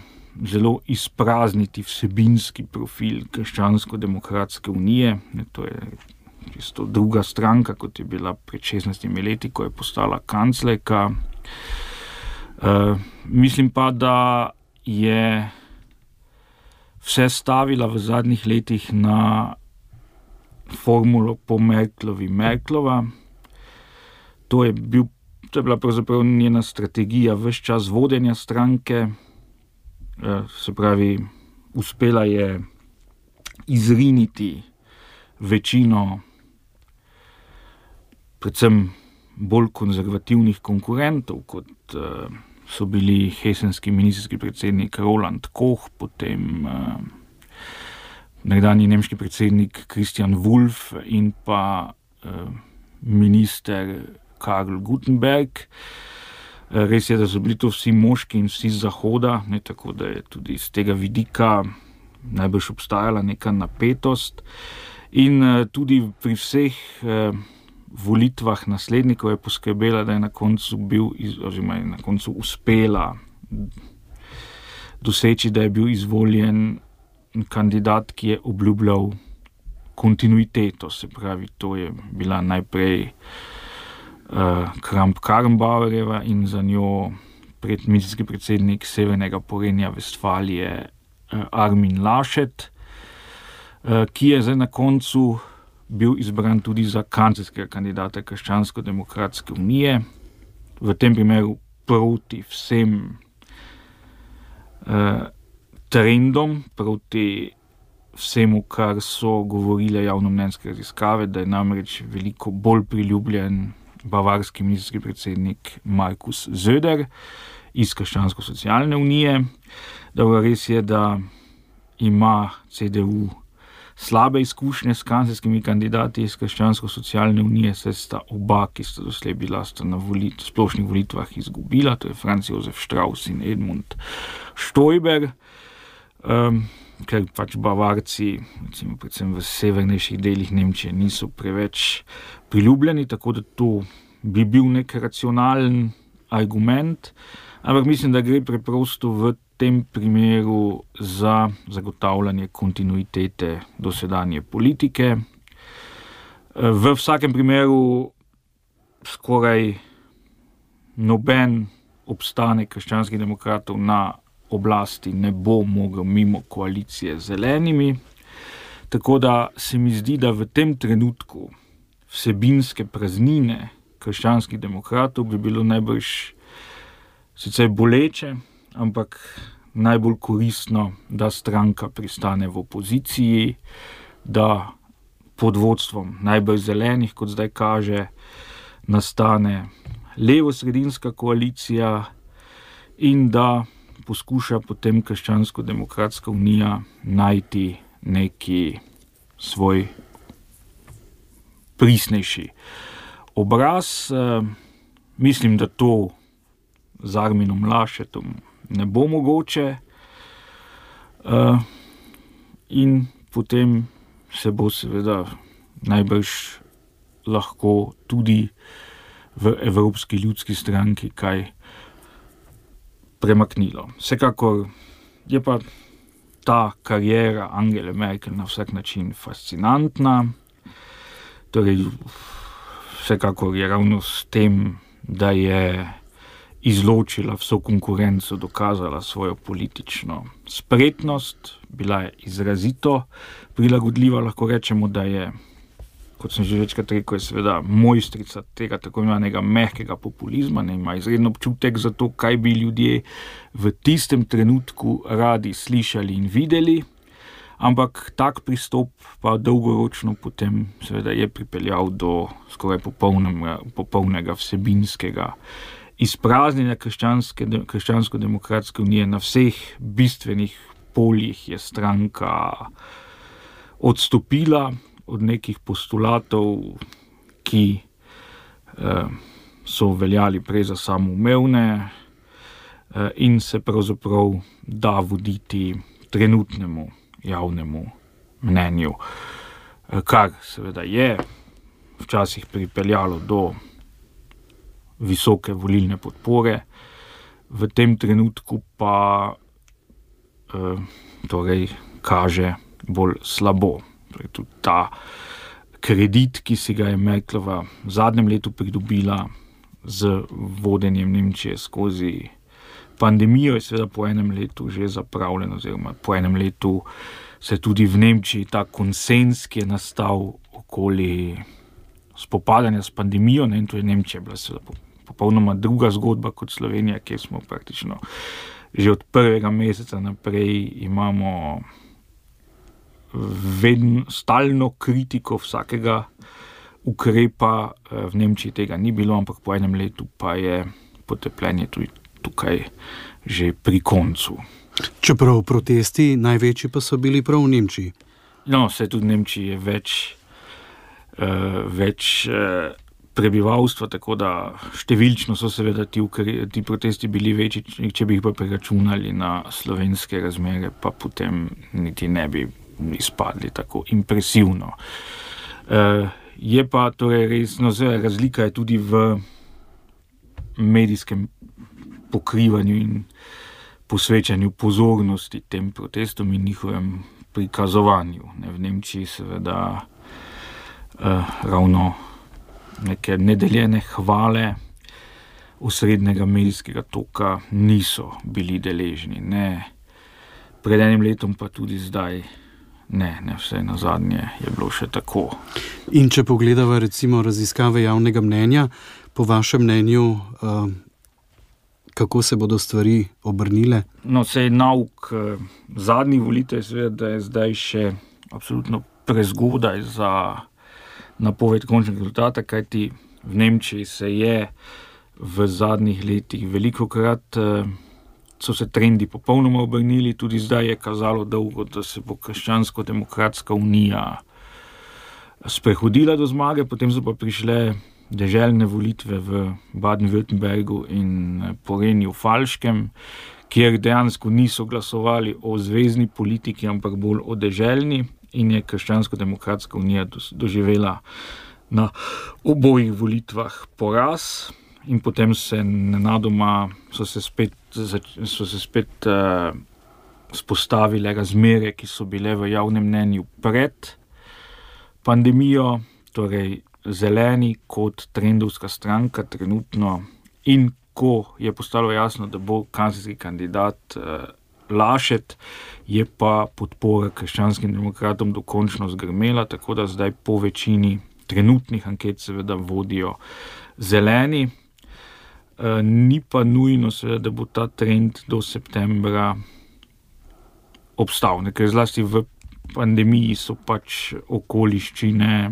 zelo izprazniti vsebinski profil Krščansko-demokratske unije. To je čisto druga stranka, kot je bila pred šestnajstimi leti, ko je postala kanclerka. Uh, mislim pa, da je vse stavila v zadnjih letih na formulo po Merklovi Merklova. To je, bil, to je bila pravzaprav njena strategija ves čas vodenja stranke. Uh, se pravi, uspela je izriniti večino predvsem bolj konzervativnih konkurentov, kot uh, so bili hesenski ministerski predsednik Roland Koch, potem uh, nekdanji nemški predsednik Christian Wulff in pa uh, minister Karl Gutenberg. Uh, res je, da so bili to vsi moški in vsi z zahoda, ne, tako da je tudi z tega vidika najbrž obstajala neka napetost. In uh, tudi pri vseh uh, volitvah naslednikov je poskrbela, da je na koncu bil, oziroma je na koncu uspela doseči, da je bil izvoljen kandidat, ki je obljubljal kontinuiteto, se pravi, to je bila najprej uh, Kramp-Karrenbauerjeva in za njo predministrski predsednik Severnega Porenja Vestfalije uh, Armin Laschet, uh, ki je zdaj na koncu bil izbran tudi za kanclerskega kandidata Krščansko-demokratske unije, v tem primeru proti vsem uh, trendom, proti vsemu, kar so govorile javnomnenjske raziskave, da je namreč veliko bolj priljubljen bavarski ministerski predsednik Markus Söder iz Krščansko-socialne unije. Dobro, res je, da ima C D U slabe izkušnje s kanclerskimi kandidati iz Krščansko-socialne unije, saj sta oba, ki sta doslej bila, sta na volit, splošnih volitvah izgubila, to je Franz Josef Strauss in Edmund Stoiber, um, ker pač Bavarci, recimo predvsem v severnejših delih Nemčije, niso preveč priljubljeni, tako da to bi bil nek racionalen argument, ampak mislim, da gre preprosto v tem primeru za zagotavljanje kontinuitete dosedanje politike. V vsakem primeru skoraj noben obstanek krščanskih demokratov na oblasti ne bo mogel mimo koalicije z zelenimi, tako da se mi zdi, da v tem trenutku vsebinske praznine krščanskih demokratov bi bilo najbrž sicer boleče, ampak najbolj koristno, da stranka pristane v opoziciji, da pod vodstvom najbolj zelenih, kot zdaj kaže, nastane levo-sredinska koalicija in da poskuša potem Krščansko-demokratska unija najti neki svoj prisnejši obraz. Mislim, da to z Arminom Laschetom ne bo mogoče uh, in potem se bo seveda najbrž lahko tudi v Evropski ljudski stranki kaj premaknilo. Vsekakor je pa ta karijera Angele Merkel na vsak način fascinantna, torej vsekakor je ravno s tem, da je izločila vso konkurenco, dokazala svojo politično spretnost, bila je izrazito prilagodljiva, lahko rečemo, da je, kot sem že večkrat rekel, je seveda mojstrica tega tako imenovanega mehkega populizma, ne ima izredno občutek za to, kaj bi ljudje v tistem trenutku radi slišali in videli, ampak tak pristop pa dolgoročno potem seveda je pripeljal do skoraj popolnega, popolnega vsebinskega izpraznjenja Krščansko-demokratske unije. Na vseh bistvenih poljih je stranka odstopila od nekih postulatov, ki eh, so veljali prej za samoumevne eh, in se pravzaprav da voditi trenutnemu javnemu mnenju, eh, kar seveda je včasih pripeljalo do visoke volilne podpore, v tem trenutku pa eh, torej kaže bolj slabo. Torej, tudi ta kredit, ki si ga je Merklova v zadnjem letu pridobila z vodenjem Nemčije skozi pandemijo, je seveda po enem letu že zapravljen, oziroma po enem letu se tudi v Nemčiji ta konsens, ki je nastal okoli spopadanja s pandemijo, ne, in to je Nemčija bila seveda popolnoma druga zgodba kot Slovenija, kjer smo praktično že od prvega meseca naprej imamo vedno stalno kritiko vsakega ukrepa. V Nemčiji tega ni bilo, ampak po enem letu pa je potrpljenje tudi tukaj že pri koncu. Čeprav protesti največji pa so bili prav v Nemčiji. No, vse tudi v Nemčiji je več, uh, več uh, prebivalstva, tako da številčno so seveda ti, ukre, ti protesti bili večji, če bi jih pa preračunali na slovenske razmere, pa potem niti ne bi izpadli tako impresivno. Uh, je pa torej res, no, razlika je tudi v medijskem pokrivanju in posvečanju pozornosti tem protestom in njihovem prikazovanju. Ne, v Nemčiji seveda uh, ravno neke nedeljene hvale osrednjega medijskega toka niso bili deležni. Ne pred enim letom, pa tudi zdaj ne, ne vse na zadnje je bilo še tako. In če pogledava recimo raziskave javnega mnenja, po vašem mnenju, uh, kako se bodo stvari obrnile? No, sej nauk eh, zadnjih volitev je seveda, da je zdaj še absolutno prezgodaj za napoved končnega rezultata, kajti v Nemčiji se je v zadnjih letih velikokrat eh, so se trendi popolnoma obrnili, tudi zdaj je kazalo dolgo, da se bo Krščansko-demokratska unija sprehodila do zmage, potem so pa prišle deželne volitve v Baden-Württembergu in Porenju Falškem, kjer dejansko niso glasovali o zvezni politiki, ampak bolj o deželni, in je Krščansko-demokratska unija doživela na obojih volitvah poraz in potem se nenadoma so se spet, so se spet uh, spostavile razmere, ki so bile v javnem mnenju pred pandemijo, torej Zeleni kot trendovska stranka trenutno, in ko je postalo jasno, da bo kanclerski kandidat eh, Laschet, je pa podpora krščanskim demokratom dokončno zgrmela, tako da zdaj po večini trenutnih anket seveda vodijo Zeleni. E, ni pa nujno seveda, da bo ta trend do septembra obstal, ker zlasti v pandemiji so pač okoliščine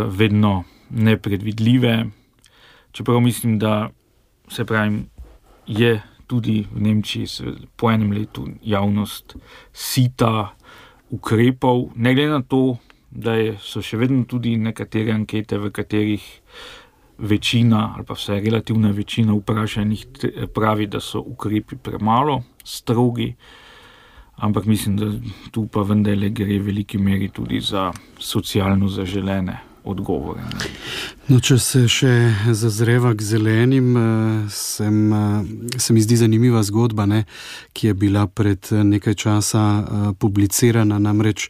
vedno nepredvidljive, čeprav mislim, da se pravim, je tudi v Nemčiji po enem letu javnost sita ukrepov, ne glede na to, da je, so še vedno tudi nekatere ankete, v katerih večina ali pa vse relativna večina vprašanih pravi, da so ukrepi premalo strogi, ampak mislim, da tu pa vendarle gre v veliki meri tudi za socialno zaželene odgovore. No, če se še zazreva k zelenim, sem, se mi zdi zanimiva zgodba, ne, ki je bila pred nekaj časa publicirana, namreč,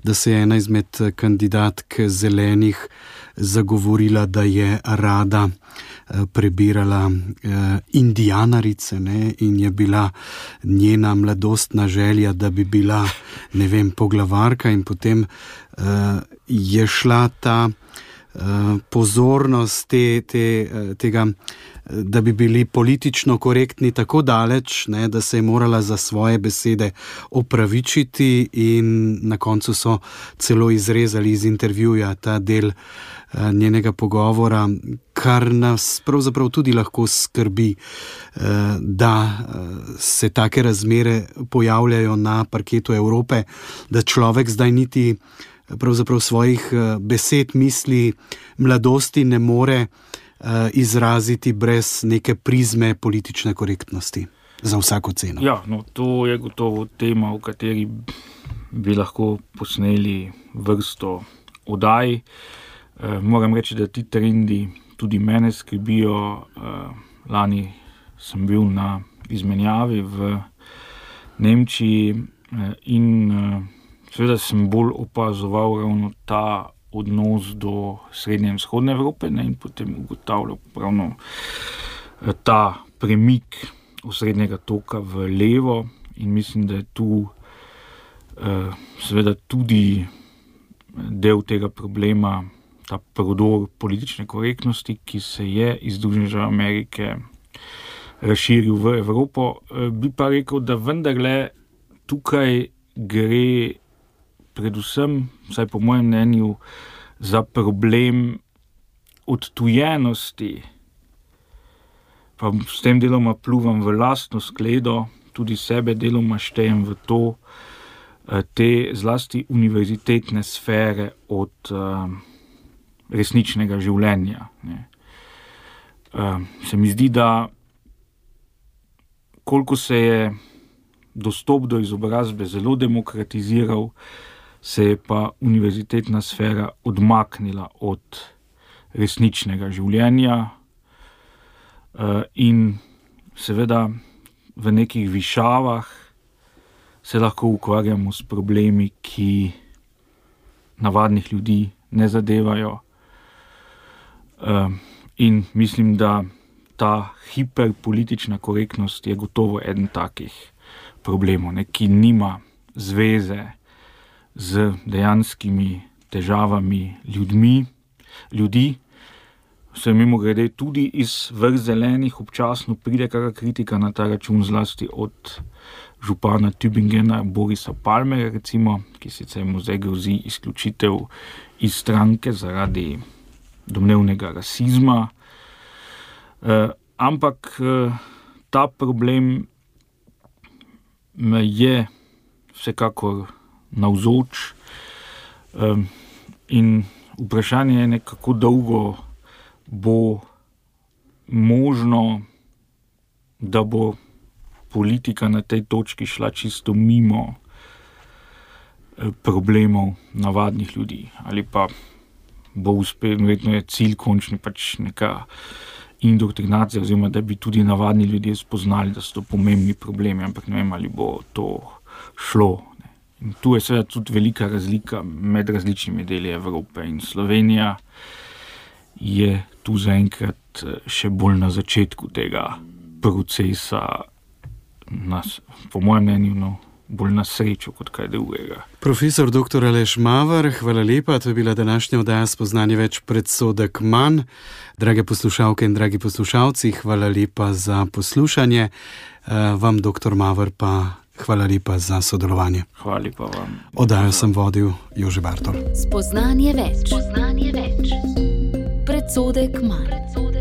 da se je ena izmed kandidatk zelenih zagovorila, da je rada prebirala indijanarice, ne, in je bila njena mladostna želja, da bi bila, ne vem, poglavarka, in potem uh, je šla ta uh, pozornost te, te, tega, da bi bili politično korektni tako daleč, ne, da se je morala za svoje besede opravičiti, in na koncu so celo izrezali iz intervjuja ta del njenega pogovora, kar nas pravzaprav tudi lahko skrbi, da se take razmere pojavljajo na parketu Evrope, da človek zdaj niti pravzaprav svojih besed, misli, mladosti ne more izraziti brez neke prizme politične korektnosti za vsako ceno. Ja, no, to je gotovo tema, v kateri bi lahko posneli vrsto oddaj. Uh, moram reči, da ti trendi tudi mene skrbijo. Uh, lani sem bil na izmenjavi v Nemčiji uh, in uh, seveda sem bolj opazoval ravno ta odnos do srednje in vzhodne Evrope, ne, in potem ugotavljal ravno uh, ta premik osrednjega toka v levo, in mislim, da je tu uh, seveda tudi del tega problema ta prodor politične korektnosti, ki se je iz Združenih držav Amerike razširil v Evropo. Bi pa rekel, da vendarle tukaj gre predvsem, vsaj po mojem mnenju, za problem odtujenosti, pa s tem deloma pluvam v lastno skledo, tudi sebe deloma štejem v to, te zlasti univerzitetne sfere od uh, resničnega življenja. Ne. Uh, se mi zdi, da koliko se je dostop do izobrazbe zelo demokratiziral, se je pa univerzitetna sfera odmaknila od resničnega življenja uh, in seveda v nekih višavah se lahko ukvarjamo s problemi, ki navadnih ljudi ne zadevajo. Uh, in mislim, da ta hiperpolitična korektnost je gotovo eden takih problemov, ne, ki nima zveze z dejanskimi težavami ljudmi, ljudi. Se mimo grede tudi iz vrst zelenih občasno pride kakšna kritika na ta račun, zlasti od župana Tübingena Borisa Palmerja, recimo, ki sicer mu zdaj grozi izključitev iz stranke zaradi domnevnega rasizma. Uh, ampak uh, ta problem je vsekakor navzoč uh, in vprašanje je, kako dolgo bo možno, da bo politika na tej točki šla čisto mimo problemov navadnih ljudi. Ali pa bo uspel, verjetno je cilj končni pač neka indoktrinacija, oziroma da bi tudi navadni ljudje spoznali, da so to pomembni problemi, ampak ne vem, ali bo to šlo. In tu je seveda tudi velika razlika med različnimi deli Evrope in Slovenija je tu zaenkrat še bolj na začetku tega procesa, nas, po mojem mnenju, no, bolj na srečo kot kaj drugega. Profesor doktor Aleš Maver, hvala lepa, to je bila današnja oddaja Spoznanje več, predsodek manj. Drage poslušalke in dragi poslušalci, hvala lepa za poslušanje. Vam, doktor Maver, pa hvala lepa za sodelovanje. Hvala lepa vam. Oddajo sem vodil Jože Bartol. Spoznanje več. Spoznanje več. Predsodek manj.